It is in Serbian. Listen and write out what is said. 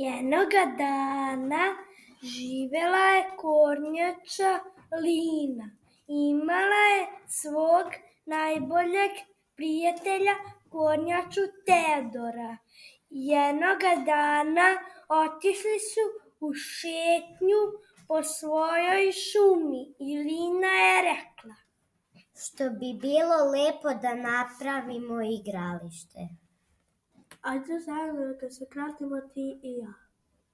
Jednoga dana živela je kornjača Lina. Imala je svog najboljeg prijatelja kornjaču Teodora. Jednoga dana otišli su u šetnju po svojoj šumi i Lina je rekla: što bi bilo lepo da napravimo igralište. Ajde zajedno da se kratimo ti i ja.